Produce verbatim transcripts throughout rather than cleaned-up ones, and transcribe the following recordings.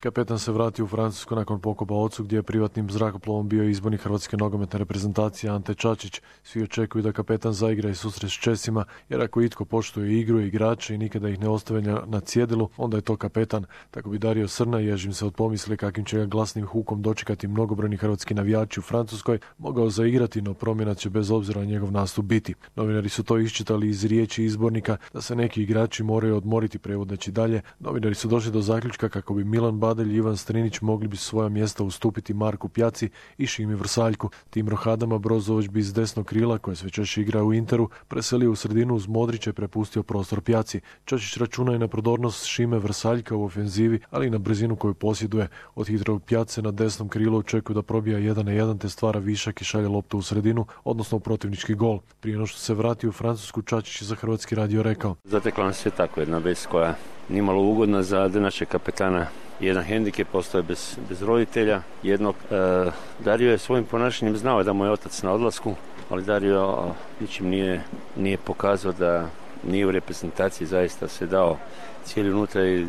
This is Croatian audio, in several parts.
Kapetan se vratio u Francusku nakon pokopa ocu gdje je privatnim zrakoplovom bio izbornik hrvatske nogometne reprezentacije Ante Čačić. Svi očekuju da kapetan zaigra i susret s Česima, jer ako itko poštuje igru i igrače i nikada ih ne ostavlja na cjedilu, onda je to kapetan. Tako bi Dario Srna, ježim se od pomisli kakvim će ga glasnim hukom dočekati mnogobrojni hrvatski navijači u Francuskoj, mogao zaigrati, no promjena će bez obzira na njegov nastup biti. Novinari su to iščitali iz riječi izbornika da se neki igrači moraju odmoriti, prevodeći dalje. Novinari su došli do zaključka kako bi Milan Badelj i Ivan Strinić mogli bi svoja mjesta ustupiti Marku Pjaci i Šimi Vrsaljku. Tim rohadama Brozović bi iz desnog krila, koje sve češće igra u Interu, preselio u sredinu uz Modrića i prepustio prostor Pjaci. Čačić računa i na prodornost Šime Vrsaljka u ofenzivi, ali i na brzinu koju posjeduje. Od hitrog Pjace na desnom krilu očekuju da probija jedan na jedan te stvara višak i šalje loptu u sredinu, odnosno u protivnički gol. Prije no što se vrati u Francusku, Čačić je za Hrvatski radio rekao: Zatekla nas je tako jedna vez koja nimalo ugodna za našeg kapetana. Jedan hendikep, postoje bez, bez roditelja. Jednog, e, Dario je svojim ponašanjem znao da mu je otac na odlasku, ali Dario ničim nije, nije pokazao da nije u reprezentaciji, zaista se dao cijeli unutra i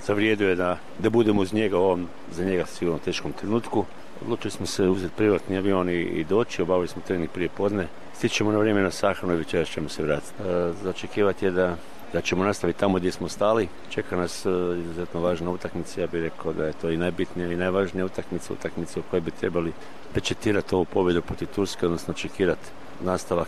zavrijedio je da, da budemo uz njega u ovom, za njega sigurno teškom trenutku. Odlučili smo se uzeti privatni avion i, i doći, obavili smo trening prije podne. Stićemo na vrijeme na sahranu i večeras ćemo se vratiti. E, za očekivati je da da ćemo nastaviti tamo gdje smo stali. Čeka nas uh, izuzetno važna utakmica. Ja bih rekao da je to i najbitnija i najvažnija utakmica, utakmica u kojoj bi trebali pečetirati ovu pobjedu protiv Turske, odnosno očekivati nastavak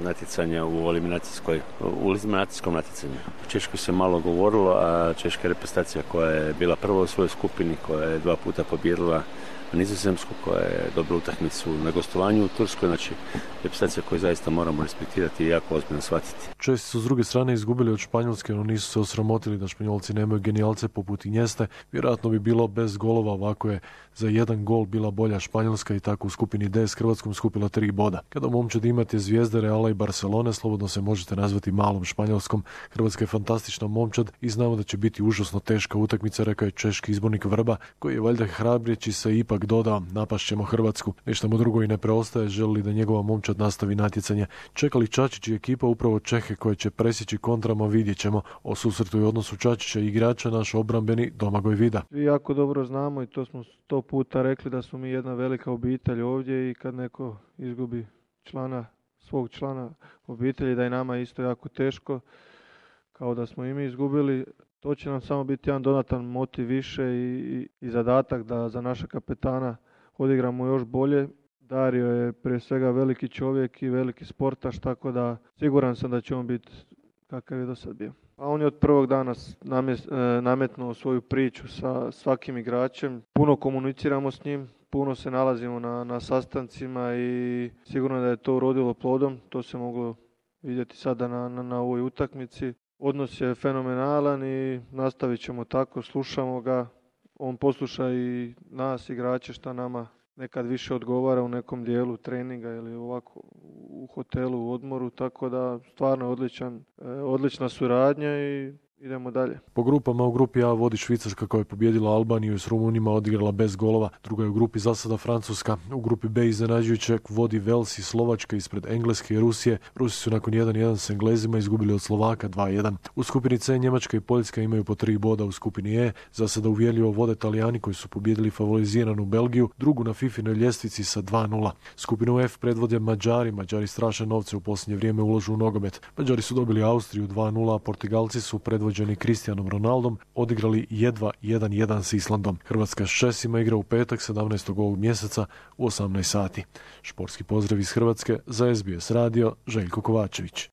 natjecanja u eliminacijskoj, u eliminacijskom natjecanju. U Češkoj se malo govorilo, a češka reprezentacija koja je bila prva u svojoj skupini, koja je dva puta pobijedila Nizozemsku, koja je dobila utakmicu na gostovanju u Turskoj, znači reprezentacija koju zaista moramo respektirati i jako ozbiljno shvatiti. Česi su s druge strane izgubili od Španjolske, no nisu se osramotili da Španjolci nemaju genijalce poput Injeste. Vjerojatno bi bilo bez golova, ovako je za jedan gol bila bolja Španjolska i tako u skupini D s Hrvatskom skupila tri boda. Kada momčad imate zvijezde Reala i Barcelone, slobodno se možete nazvati malom Španjolskom. Hrvatska je fantastična momčad i znamo da će biti užasno teška utakmica, rekao je češki izbornik Vrba, koji je valjda hrabrijeći se ipak dodao: napašćemo Hrvatsku. Ništa mu drugo i ne preostaje, želi da njegova momčad nastavi natjecanje. Čekali Čačić i ekipa upravo Čehe koje će presjeći kontrama, vidjet ćemo. O susretu i odnosu Čačića i igrača naš obrambeni Domagoj Vida. Vi jako dobro znamo i to smo sto puta rekli da smo mi jedna velika obitelj ovdje i kad neko izgubi člana, svog člana obitelji, da je nama isto jako teško, kao da smo i mi izgubili. To će nam samo biti jedan dodatan motiv više i, i, i zadatak da za naša kapetana odigramo još bolje. Dario je prije svega veliki čovjek i veliki sportaš, tako da siguran sam da će on biti kakav je do sad bio. A on je od prvog dana nametnuo svoju priču sa svakim igračem. Puno komuniciramo s njim, puno se nalazimo na, na sastancima i sigurno da je to urodilo plodom. To se moglo vidjeti sada na, na, na ovoj utakmici. Odnos je fenomenalan i nastavit ćemo tako, slušamo ga. On posluša i nas, igrače, šta nama nekad više odgovara u nekom dijelu treninga ili ovako u hotelu, u odmoru, tako da stvarno odličan, odlična suradnja i idemo dalje. Po grupama u grupi A vodi Švicarska koja je pobijedila Albaniju i s Rumunima odigrala bez golova. Druga je u grupi za sada Francuska. U grupi B iznenađujuće vodi Vels i Slovačka ispred Engleske i Rusije. Rusi su nakon jedan jedan s Englezima izgubili od Slovaka dva jedan. U skupini C Njemačka i Poljska imaju po tri boda. U skupini E za sada uvjerljivo vode Talijani koji su pobijedili favoriziranu Belgiju, drugu na fifinoj ljestvici sa dva nula. Skupinu F predvode Mađari. Mađari straše novce u posljednje vrijeme ulažu u nogomet. Mađari su dobili Austriju dva nula, a Portugalci su predvođeni Cristianom Ronaldom odigrali jedva jedan jedan s Islandom. Hrvatska s Česima igra u petak sedamnaestog ovog mjeseca u osamnaest sati. Športski pozdrav iz Hrvatske za S B S radio, Željko Kovačević.